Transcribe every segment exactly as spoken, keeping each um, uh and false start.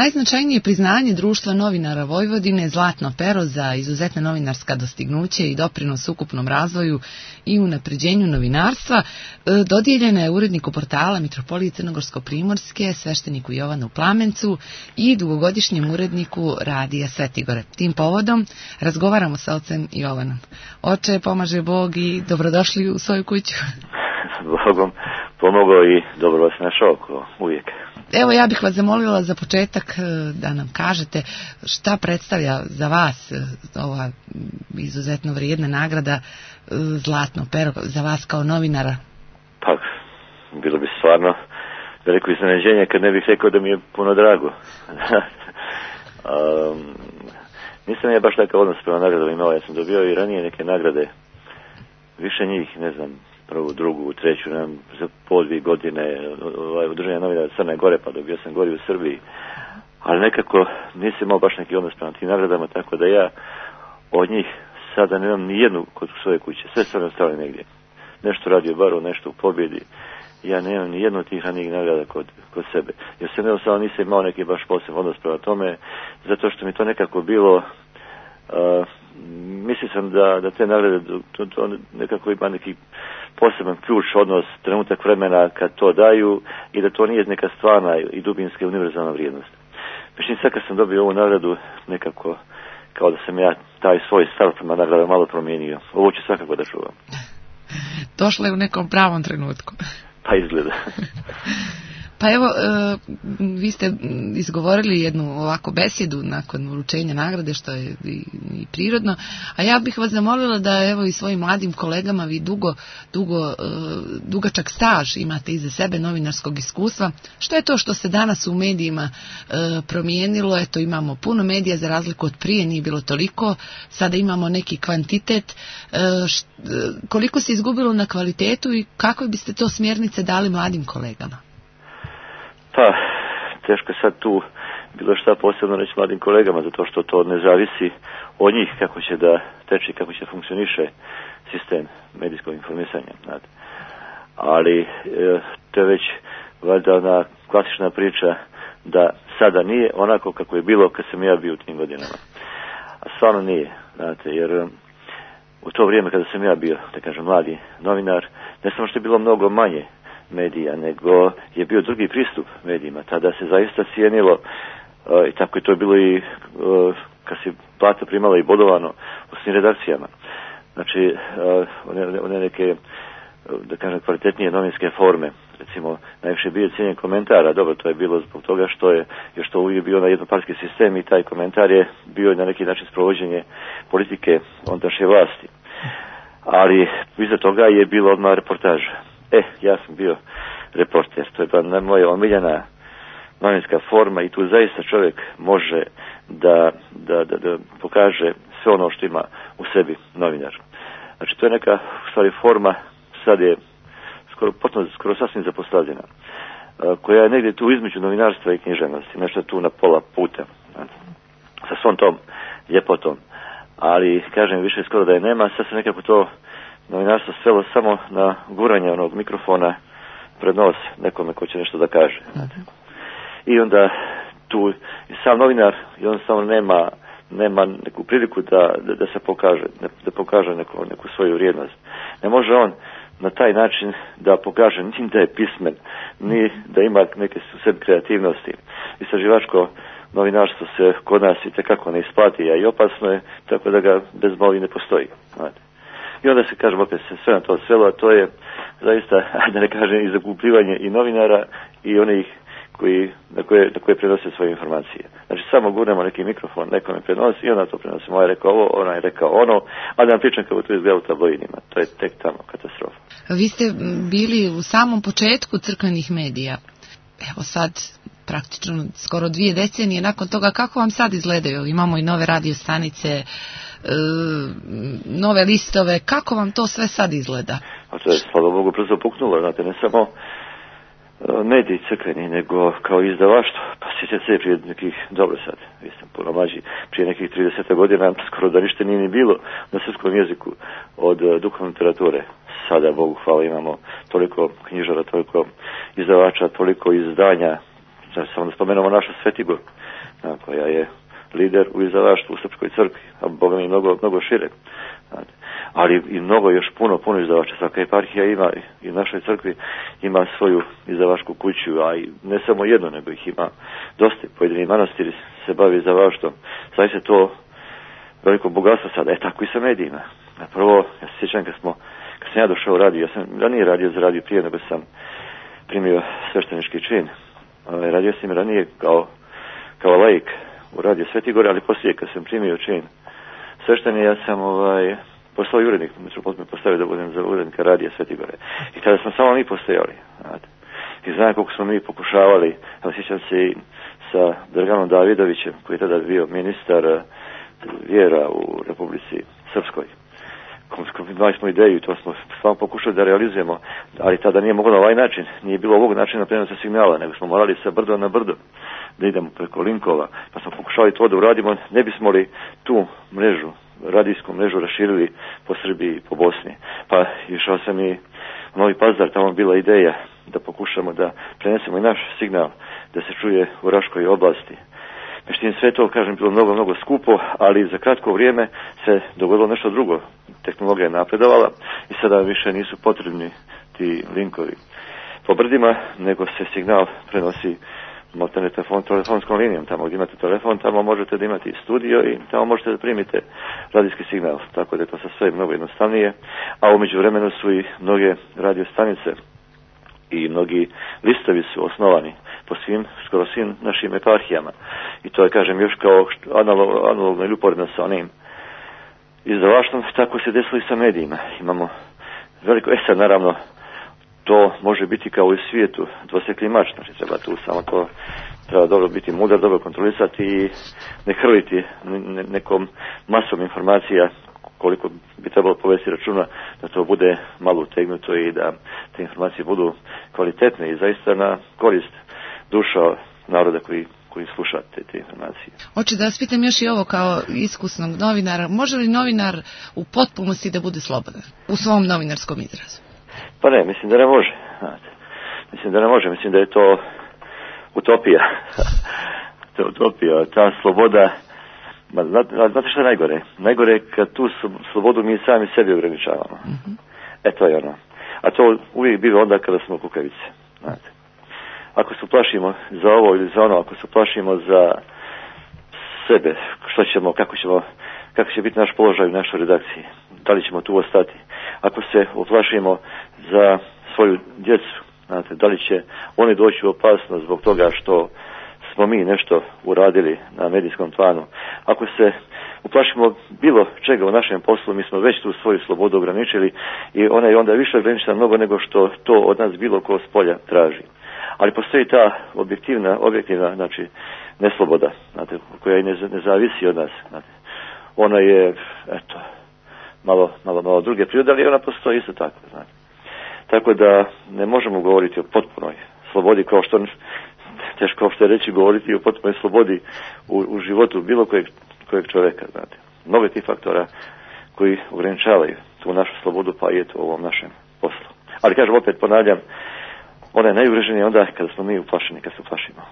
najznačajnije priznanje Društva novinara Vojvodine Zlatno pero za izuzetna novinarska dostignuće i doprinos ukupnom razvoju i unapređenju novinarstva dodijeljena je uredniku portala Mitropolije Crnogorsko-Primorske, svešteniku Jovanu Plamencu i dugogodišnjem uredniku Radija Svetigore. Tim povodom razgovaramo sa ocem Jovanom. Oče, pomaže Bog i dobrodošli u svoju kuću. Bogom pomogao i dobro vas našao, ko uvijek. Evo, ja bih vas zamolila za početak da nam kažete šta predstavlja za vas ova izuzetno vrijedna nagrada Zlatno pero za vas kao novinara. Pa, bilo bi stvarno veliko iznenađenje kad ne bih rekao da mi je puno drago. um, nisam ja baš takav odnos prema nagradama imao, ja sam dobio i ranije neke nagrade, više njih, ne znam, prvu, drugu, treću, nam za po dvije godine ovaj, udruženja novinara Crne Gore, pa dobio sam gori u Srbiji. Ali nekako nisam imao baš neki odnos prema tim nagradama, tako da ja od njih sada nemam ni jednu kod svoje kuće. Sve sam ostavili negdje. Nešto radio baru, nešto u Pobjedi. Ja nemam ni jednu od tih ranijih nagrada kod, kod sebe. Jer sam jednostavno nisam imao neki baš posebno odnos prema tome, zato što mi to nekako bilo... Uh, mislio sam da, da te nagrade to, to nekako ima neki poseban ključ, odnos, trenutak vremena kad to daju i da to nije neka stvarna i dubinska univerzalna vrijednost. Međutim, sad kad sam dobio ovu nagradu, nekako kao da sam ja taj svoj stav prema nagrada malo promijenio. Ovo ću svakako da čuvam. Došla je u nekom pravom trenutku. Pa izgleda. Pa evo, vi ste izgovorili jednu ovako besjedu nakon uručenja nagrade, što je i, i prirodno, a ja bih vas zamolila da evo i svojim mladim kolegama vi dugo, dugo, dugačak staž imate iza sebe novinarskog iskustva. Što je to što se danas u medijima promijenilo? Eto, imamo puno medija, za razliku od prije nije bilo toliko, sada imamo neki kvantitet. Koliko se izgubilo na kvalitetu i kakve biste to smjernice dali mladim kolegama? Pa, teško sad tu bilo šta posebno reći mladim kolegama, zato što to ne zavisi od njih kako će da teče, kako će funkcioniše sistem medijskog informisanja. Znate. Ali e, to je već valjda ona klasična priča da sada nije onako kako je bilo kad sam ja bio u tim godinama. A stvarno nije, znate, jer u to vrijeme kada sam ja bio, da kažem, mladi novinar, ne samo što je bilo mnogo manje medija, nego je bio drugi pristup medijima. Tada se zaista cijenilo, uh, i tako je to bilo i uh, kad se plata primala i bodovano u svim redakcijama. Znači, uh, one, one neke, da kažem, kvalitetnije novinske forme, recimo, najviše bio cijenjen komentara, dobro, to je bilo zbog toga što je još to uvijek bio na jednopartijski sistem i taj komentar je bio na neki način sprovođenje politike ondašnje vlasti. Ali iza toga je bilo odmah reportaža. E, ja sam bio reporter, to je bila moja omiljena novinska forma i tu zaista čovjek može da, da, da, da pokaže sve ono što ima u sebi novinar. Znači, to je neka, u stvari, forma, sad je skoro, potpuno, skoro sasvim zapostavljena, koja je negdje tu između novinarstva i književnosti, nešto tu na pola puta, sa svom tom ljepotom. Ali, kažem, više skoro da je nema, sad se nekako to novinarstvo svelo samo na guranje onog mikrofona pred nos nekome ko će nešto da kaže. Znate. I onda tu i sam novinar jednostavno nema, nema neku priliku da, da, da se pokaže, da pokaže neku, neku svoju vrijednost. Ne može on na taj način da pokaže ni da je pismen, ni da ima neke u sebi kreativnosti. Istraživačko novinarstvo se kod nas i tekako ne isplati, a i opasno je, tako da ga bez moli ne postoji. Znate. I onda se, kažem, opet se sve na to svelo, a to je zaista, da ne kažem, i zakupljivanje i novinara i onih koji, na, koje, na koje prenose svoje informacije. Znači, samo gurnemo neki mikrofon, neko ne prenosi i onda to prenosi. Moja je rekao ovo, ona je rekao ono, a da vam pričam kako to izgleda u tabloidima. To je tek tamo katastrofa. Vi ste bili u samom početku crkvenih medija. Evo sad, praktično skoro dvije decenije nakon toga, kako vam sad izgledaju? Imamo i nove radio stanice, e, nove listove, kako vam to sve sad izgleda? A to je, slava Bogu, brzo puknulo, znate, ne samo mediji crkveni, nego kao izdavaštvo. Pa sjećate se prije nekih, dobro sad, vi ste puno mlađi, prije nekih trideset godina skoro da ništa nije ni bilo na srpskom jeziku od uh, duhovne literature. Sada, Bogu hvala, imamo toliko knjižara, toliko izdavača, toliko izdanja. Znači, samo da spomenemo naša Svetigor, a, koja je lider u izdavaštvu u Srpskoj crkvi, a boga mi mnogo, mnogo šire. Znate. Ali i mnogo još puno, puno izdavača. Svaka eparhija ima i u našoj crkvi ima svoju izdavačku kuću, a i ne samo jedno, nego ih ima dosta. Pojedini manastiri se bavi izdavaštvom. Sad se to veliko bogatstvo sada. E, tako i sa medijima. A prvo, ja se sjećam kad smo, kad sam ja došao u radio, ja sam ranije radio za radio prije nego sam primio sveštenički čin. Radio sam ranije kao, kao laik u radio Svetigore, ali poslije kad sam primio čin svešteni, ja sam ovaj, postao i urednik, metropolit me postavio da budem za urednika radija Svetigore. I tada smo samo mi postojali. Znate. I znam koliko smo mi pokušavali, evo sjećam se i sa Draganom Davidovićem, koji je tada bio ministar vjera u Republici Srpskoj. Imali smo ideju i to smo stvarno pokušali da realizujemo, ali tada nije moglo na ovaj način, nije bilo ovog načina prenosa signala, nego smo morali sa brdo na brdo da idemo preko linkova, pa smo pokušali to da uradimo, ne bismo li tu mrežu, radijsku mrežu raširili po Srbiji i po Bosni. Pa išao sam i u Novi Pazar, tamo bila ideja da pokušamo da prenesemo i naš signal, da se čuje u Raškoj oblasti. Međutim, sve to, kažem, bilo mnogo, mnogo skupo, ali za kratko vrijeme se dogodilo nešto drugo. Tehnologija je napredovala i sada više nisu potrebni ti linkovi po brdima, nego se signal prenosi maltene telefon, telefonskom linijom. Tamo gdje imate telefon, tamo možete da imate i studio i tamo možete da primite radijski signal. Tako da je to sa sve mnogo jednostavnije. A umeđu vremenu su i mnoge radio stanice i mnogi listovi su osnovani po svim, skoro svim našim eparhijama. I to je, kažem, još kao analog, analogno ili uporedno sa onim izdavaštvom, tako se desilo i sa medijima. Imamo veliko, e sad naravno, to može biti kao i u svijetu dvosjekli mač, znači treba tu samo to, treba dobro biti mudar, dobro kontrolisati i ne hrliti ne, nekom masom informacija koliko bi trebalo povesti računa da to bude malo utegnuto i da te informacije budu kvalitetne i zaista na korist duša naroda koji koji sluša te, te informacije. Hoću da vas pitam još i ovo kao iskusnog novinara. Može li novinar u potpunosti da bude slobodan u svom novinarskom izrazu? Pa ne, mislim da ne može. Znate. Mislim da ne može. Mislim da je to utopija. To je utopija. Ta sloboda, ma, znate što je najgore? Najgore je kad tu slobodu mi sami sebi ograničavamo. Mm-hmm. E to je ono. A to uvijek biva onda kada smo kukavice. Znate. Ako se plašimo za ovo ili za ono, ako se plašimo za sebe, što ćemo, kako ćemo, kako će biti naš položaj u našoj redakciji, da li ćemo tu ostati. Ako se uplašimo za svoju djecu, znate, da li će oni doći u opasnost zbog toga što smo mi nešto uradili na medijskom planu. Ako se uplašimo bilo čega u našem poslu, mi smo već tu svoju slobodu ograničili i ona je onda više ograničena mnogo nego što to od nas bilo ko s polja traži. Ali postoji ta objektivna, objektivna, znači, nesloboda, znate, koja ne, ne zavisi od nas, znate. Ona je, eto, malo, malo, malo druge prirode, ali ona postoji isto tako, znate. Tako da ne možemo govoriti o potpunoj slobodi, kao što, teško što je reći govoriti o potpunoj slobodi u, u životu bilo kojeg, kojeg čovjeka, znate. Mnogo tih faktora koji ograničavaju tu našu slobodu, pa i eto u ovom našem poslu. Ali kažem, opet ponavljam, ona je najugroženija onda kada smo mi uplašeni, kada se uplašimo.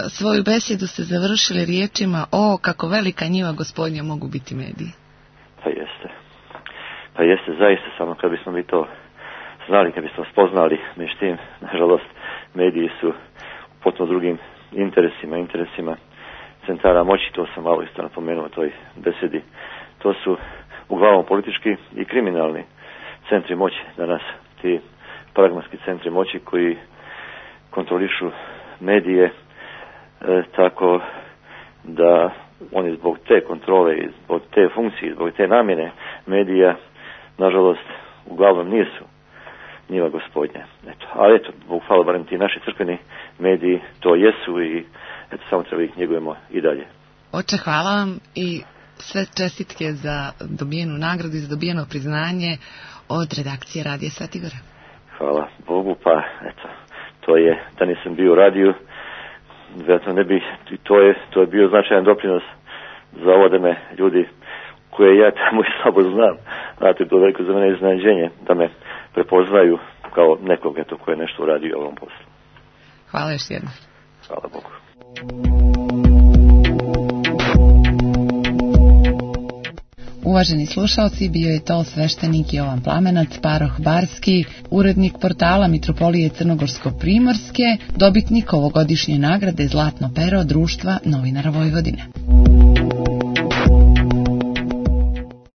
Svoju besjedu ste završili riječima: o, kako velika njiva Gospodnja mogu biti mediji. Pa jeste. Pa jeste, zaista, samo kad bismo mi to znali, kad bismo spoznali, međutim, nažalost, mediji su u potpuno drugim interesima, interesima centara moći, to sam malo isto napomenuo u toj besedi. To su uglavnom politički i kriminalni centri moći danas, ti pragmatski centri moći koji kontrolišu medije, e, tako da oni zbog te kontrole i zbog te funkcije, zbog te namjene medija, nažalost, uglavnom nisu njiva Gospodnja. Eto, ali eto, Bog hvala, barem ti naši crkveni mediji to jesu i eto, samo treba ih njegujemo i dalje. Oče, hvala vam i sve čestitke za dobijenu nagradu i za dobijeno priznanje od redakcije Radija Svetigora. Hvala Bogu, pa eto, to je, da nisam bio u radiju, vjerojatno ne bi, to je, to je bio značajan doprinos za ovo da me ljudi koje ja tamo i slabo znam, znate, to je veliko za mene iznenađenje, da me prepoznaju kao nekog, eto, koje nešto uradio u ovom poslu. Hvala još jednom. Hvala Bogu. Uvaženi slušalci, bio je to sveštenik Jovan Plamenac, paroh Barski, urednik portala Mitropolije Crnogorsko-Primorske, dobitnik ovogodišnje nagrade Zlatno pero Društva novinara Vojvodine.